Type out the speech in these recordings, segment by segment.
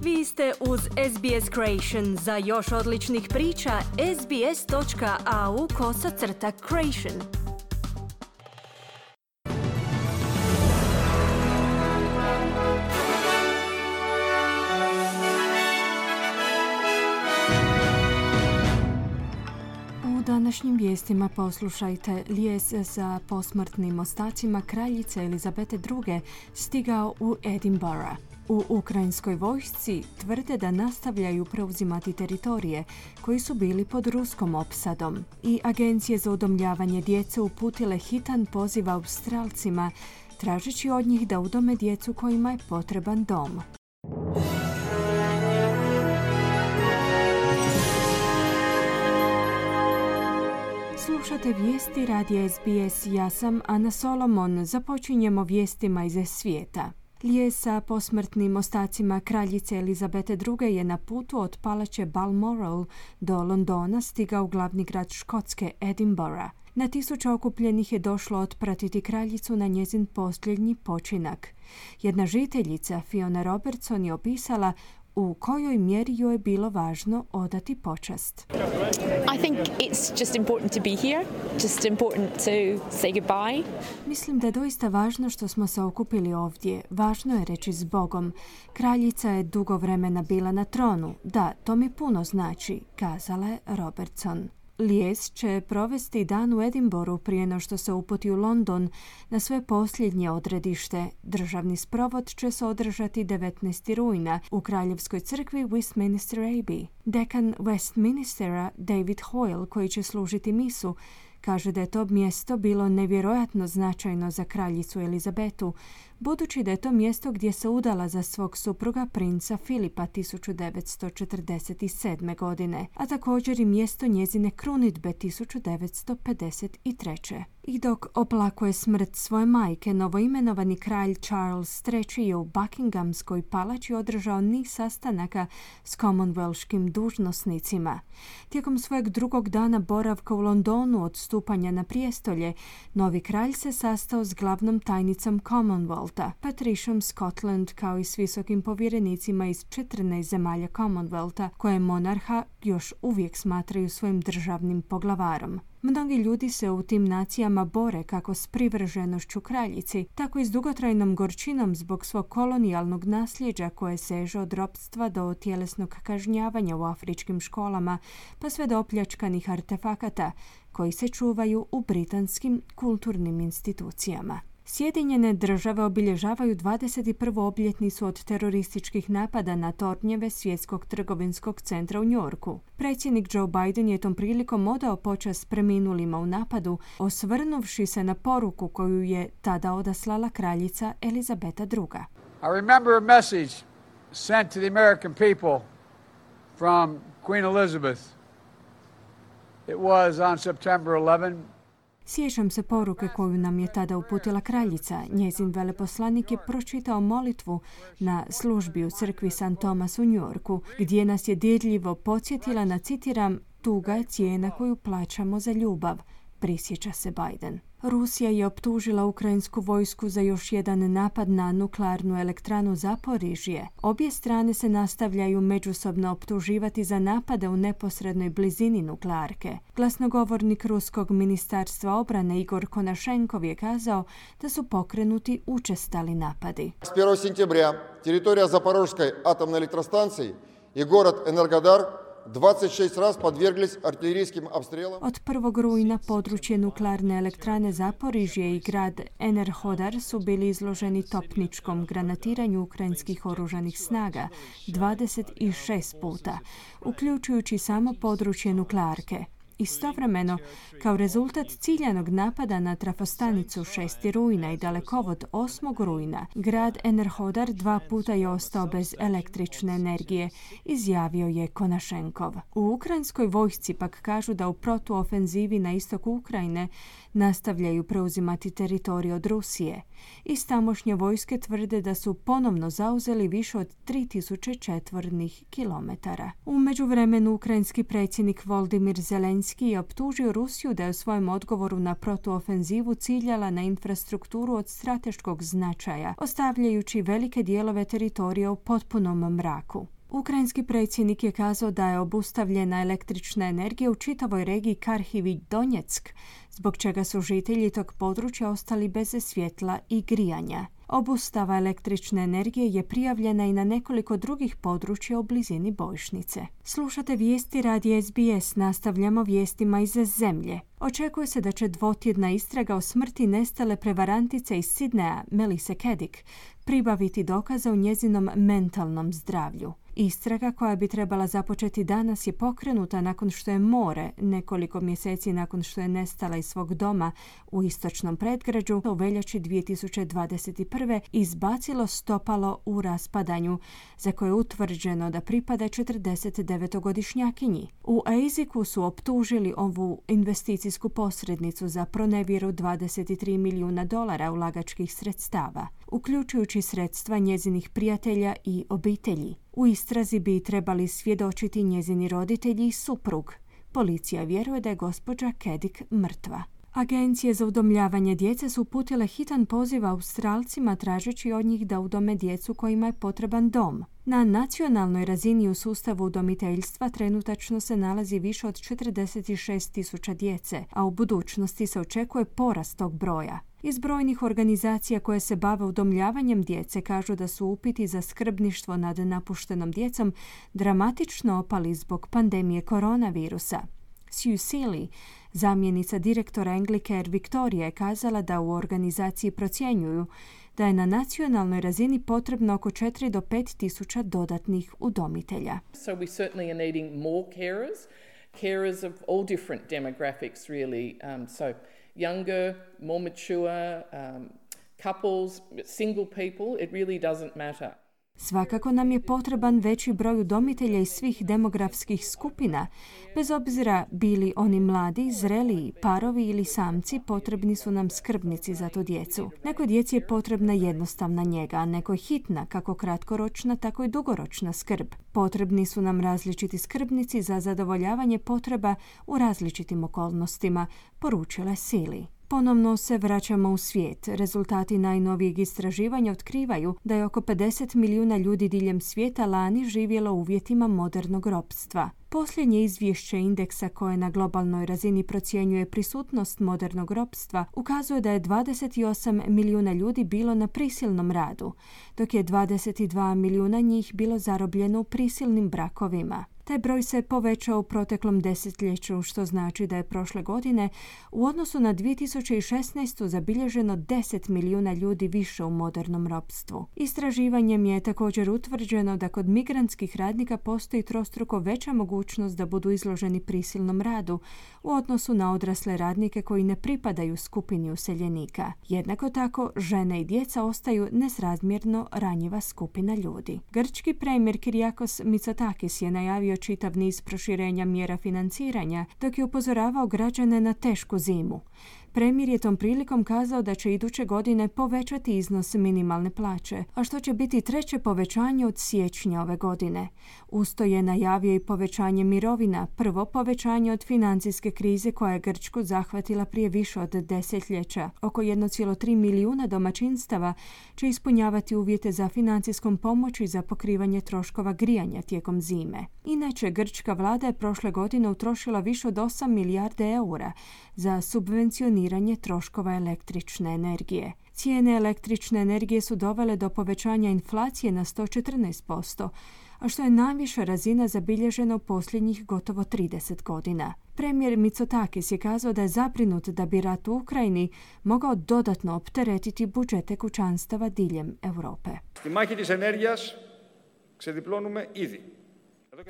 Vi ste uz SBS Creation. Za još odličnih priča, sbs.au/creation. U današnjim vijestima poslušajte: lijes za posmrtnim ostacima kraljice Elizabete II. Stigao u Edinburgh. U ukrajinskoj vojsci tvrde da nastavljaju preuzimati teritorije koji su bili pod ruskom opsadom. I agencije za udomljavanje djece uputile hitan poziv Australcima, tražeći od njih da udome djecu kojima je potreban dom. Slušate vijesti radija SBS. Ja sam Ana Solomon. Započinjemo vijestima iz svijeta. Lijes sa posmrtnim ostacima kraljice Elizabete II. Je na putu od palače Balmoral do Londona stigao u glavni grad Škotske, Edinburgh. Na tisuće okupljenih je došlo otpratiti kraljicu na njezin posljednji počinak. Jedna žiteljica, Fiona Robertson, je opisala u kojoj mjeri joj je bilo važno odati počast. I think it's just important to be here, just important to say goodbye. Mislim da je doista važno što smo se okupili ovdje. Važno je reći s Bogom. Kraljica je dugo vremena bila na tronu. Da, to mi puno znači, kazala je Robertson. Lijes će provesti dan u Edinburghu prije no što se uputi u London na svoje posljednje odredište. Državni sprovod će se održati 19. rujna u Kraljevskoj crkvi Westminster Abbey. Dekan Westminstera David Hoyle, koji će služiti misu, kaže da je to mjesto bilo nevjerojatno značajno za kraljicu Elizabetu, budući da je to mjesto gdje se udala za svog supruga princa Filipa 1947. godine, a također i mjesto njezine krunidbe 1953. I dok oplakuje smrt svoje majke, novoimenovani kralj Charles III. Je u Buckinghamskoj palači održao niz sastanaka s Commonwealthskim dužnosnicima. Tijekom svojeg drugog dana boravka u Londonu od stupanja na prijestolje, novi kralj se sastao s glavnom tajnicom Commonwealtha, Patriciom Scotland, kao i s visokim povjerenicima iz 14 zemalja Commonwealtha, koje monarha još uvijek smatraju svojim državnim poglavarom. Mnogi ljudi se u tim nacijama bore kako s privrženošću kraljici, tako i s dugotrajnom gorčinom zbog svog kolonijalnog nasljeđa koje seže od ropstva do tjelesnog kažnjavanja u afričkim školama, pa sve do opljačkanih artefakata koji se čuvaju u britanskim kulturnim institucijama. Sjedinjene države obilježavaju 21. obljetnicu od terorističkih napada na tornjeve Svjetskog trgovinskog centra u New Yorku. Predsjednik Joe Biden je tom prilikom odao počast preminulima u napadu, osvrnuvši se na poruku koju je tada odaslala kraljica Elizabeta II. I remember a message sent to the American people from Queen Elizabeth. It was on September 11. Sjećam se poruke koju nam je tada uputila kraljica. Njezin veleposlanik je pročitao molitvu na službi u crkvi St. Thomas u New Yorku, gdje nas je dirljivo podsjetila na, citiram, tuga je cijena koju plaćamo za ljubav, prisjeća se Biden. Rusija je optužila ukrajinsku vojsku za još jedan napad na nuklearnu elektranu Zaporižje. Obje strane se nastavljaju međusobno optuživati za napade u neposrednoj blizini nuklearke. Glasnogovornik Ruskog ministarstva obrane Igor Konašenkov je kazao da su pokrenuti učestali napadi. S 1. сентября teritorija Zaporožske atomne elektrostancije i город Energodar 26 raz podvjerglись artiljerijskim обстрелам. Od 1. rujna područje nuklearne elektrane Zaporižje i grad Enerhodar su bili izloženi topničkom granatiranju ukrajinskih oružanih snaga 26 puta, uključujući samo područje nuklearke. Istovremeno, kao rezultat ciljanog napada na trafostanicu 6. rujna i dalekovod 8. rujna, grad Enerhodar 2 puta je ostao bez električne energije, izjavio je Konašenkov. U ukrajinskoj vojsci pak kažu da u protuofenzivi na istoku Ukrajine nastavljaju preuzimati teritorij od Rusije. Iz tamošnje vojske tvrde da su ponovno zauzeli više od 3000 četvornih kilometara. U međuvremenu ukrajinski predsjednik Volodymyr Zelenski je optužio Rusiju da je u svojem odgovoru na protuofenzivu ciljala na infrastrukturu od strateškog značaja, ostavljajući velike dijelove teritorija u potpunom mraku. Ukrajinski predsjednik je kazao da je obustavljena električna energija u čitavoj regiji Kharkiv i Donjeck, zbog čega su žitelji tog područja ostali bez svjetla i grijanja. Obustava električne energije je prijavljena i na nekoliko drugih područja u blizini bojišnice. Slušate vijesti radija SBS, nastavljamo vijestima iz zemlje. Očekuje se da će dvotjedna istraga o smrti nestale prevarantice iz Sidneja, Melissa Kedick, pribaviti dokaza o njezinom mentalnom zdravlju. Istraga koja bi trebala započeti danas je pokrenuta nakon što je more, nekoliko mjeseci nakon što je nestala iz svog doma u istočnom predgrađu, u veljači 2021. izbacilo stopalo u raspadanju, za koje je utvrđeno da pripada 49-godišnjakinji. U Eiziku su optužili ovu investicijsku posrednicu za pronevjeru $23 milijuna ulagačkih sredstava, uključujući sredstva njezinih prijatelja i obitelji. U istrazi bi trebali svjedočiti njezini roditelji i suprug. Policija vjeruje da je gospođa Kedick mrtva. Agencije za udomljavanje djece su uputile hitan poziv Australcima tražeći od njih da udome djecu kojima je potreban dom. Na nacionalnoj razini u sustavu udomiteljstva trenutačno se nalazi više od 46.000 djece, a u budućnosti se očekuje porast tog broja. Iz brojnih organizacija koje se bave udomljavanjem djece kažu da su upiti za skrbništvo nad napuštenom djecom dramatično opali zbog pandemije koronavirusa. Sue Seeley, zamjenica direktora Anglicare Victoria, je kazala da u organizaciji procjenjuju da je na nacionalnoj razini potrebno oko 4 do 5 tisuća dodatnih udomitelja. So we certainly are needing more carers of all different demographics really. So younger, more mature, couples, single people, it really doesn't matter. Svakako nam je potreban veći broj udomitelja iz svih demografskih skupina. Bez obzira bili oni mladi, zreliji, parovi ili samci, potrebni su nam skrbnici za tu djecu. Nekoj djeci je potrebna jednostavna njega, a nekoj hitna, kako kratkoročna, tako i dugoročna skrb. Potrebni su nam različiti skrbnici za zadovoljavanje potreba u različitim okolnostima, poručila je Seeley. Ponovno se vraćamo u svijet. Rezultati najnovijeg istraživanja otkrivaju da je oko 50 milijuna ljudi diljem svijeta lani živjelo u uvjetima modernog ropstva. Posljednje izvješće indeksa koje na globalnoj razini procjenjuje prisutnost modernog ropstva ukazuje da je 28 milijuna ljudi bilo na prisilnom radu, dok je 22 milijuna njih bilo zarobljeno u prisilnim brakovima. Taj broj se povećao u proteklom desetljeću, što znači da je prošle godine u odnosu na 2016. zabilježeno 10 milijuna ljudi više u modernom ropstvu. Istraživanjem je također utvrđeno da kod migrantskih radnika postoji trostruko veća mogućnost da budu izloženi prisilnom radu u odnosu na odrasle radnike koji ne pripadaju skupini useljenika. Jednako tako, žene i djeca ostaju nesrazmjerno ranjiva skupina ljudi. Grčki premijer Kyriakos Mitsotakis je najavio čitav niz proširenja mjera financiranja, dok je upozoravao građane na tešku zimu. Premijer je tom prilikom kazao da će iduće godine povećati iznos minimalne plaće, a što će biti treće povećanje od siječnja ove godine. Usto je najavio i povećanje mirovina, prvo povećanje od financijske krize koja je Grčku zahvatila prije više od desetljeća. Oko 1,3 milijuna domaćinstava će ispunjavati uvjete za financijskom pomoći za pokrivanje troškova grijanja tijekom zime. Inače, grčka vlada je prošle godine utrošila više od 8 milijarde eura za subvencioniranje troškova električne energije. Cijene električne energije su dovele do povećanja inflacije na 114%, a što je najviša razina zabilježena u posljednjih gotovo 30 godina. Premijer Mitsotakis je kazao da je zabrinut da bi rat u Ukrajini mogao dodatno opteretiti budžete kućanstava diljem Europe.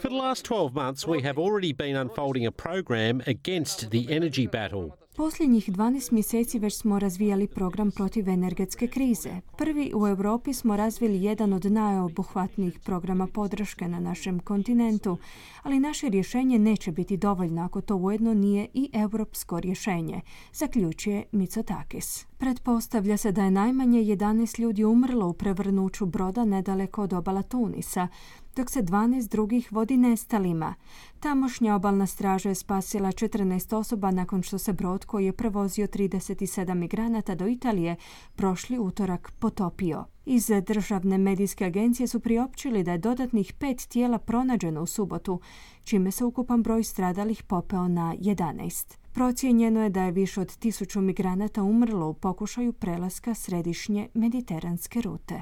For the last 12 months, we have already been unfolding a program against the energy battle. Posljednjih 12 mjeseci već smo razvijali program protiv energetske krize. Prvi u Europi smo razvili jedan od najobuhvatnijih programa podrške na našem kontinentu, ali naše rješenje neće biti dovoljno ako to ujedno nije i europsko rješenje, zaključuje Mitsotakis. Pretpostavlja se da je najmanje 11 ljudi umrlo u prevrnuću broda nedaleko od obala Tunisa, dok se 12 drugih vodi nestalima. Tamošnja obalna straža je spasila 14 osoba nakon što se brod koji je prevozio 37 migranata do Italije prošli utorak potopio. Iz državne medijske agencije su priopćili da je dodatnih 5 tijela pronađeno u subotu, čime se ukupan broj stradalih popeo na 11. Procijenjeno je da je više od 1000 migranata umrlo u pokušaju prelaska središnje mediteranske rute.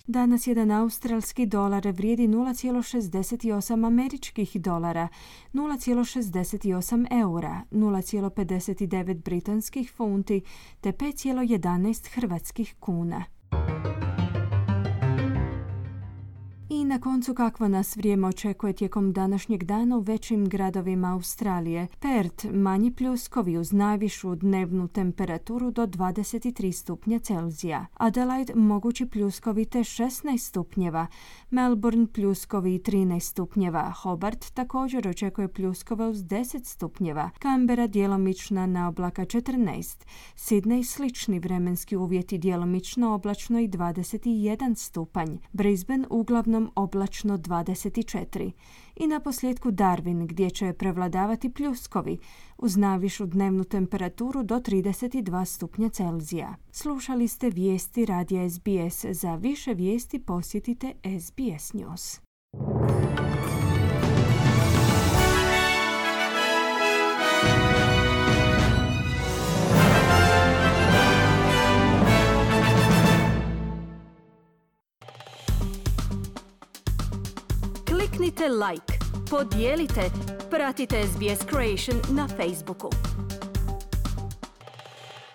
Danas jedan australski dolar vrijedi 0,68 američkih dolara, 0,68 eura, 0,59 britanskih funti te 5,11 hrvatskih kuna. I na koncu kakvo nas vrijeme očekuje tijekom današnjeg dana u većim gradovima Australije. Perth manji pljuskovi uz najvišu dnevnu temperaturu do 23 stupnja Celzija. Adelaide mogući pljuskovi te 16 stupnjeva. Melbourne pljuskovi 13 stupnjeva. Hobart također očekuje pljuskove uz 10 stupnjeva. Canberra djelomična na oblaka 14. Sydney slični vremenski uvjeti djelomično oblačno i 21 stupanj. Brisbane uglavnom oblačno 24. I na posljedku Darwin gdje će prevladavati pljuskovi uz najvišu dnevnu temperaturu do 32 stupnja Celzija. Slušali ste vijesti radija SBS. Za više vijesti posjetite SBS News. Kliknite like, podijelite, pratite SBS Creation na Facebooku.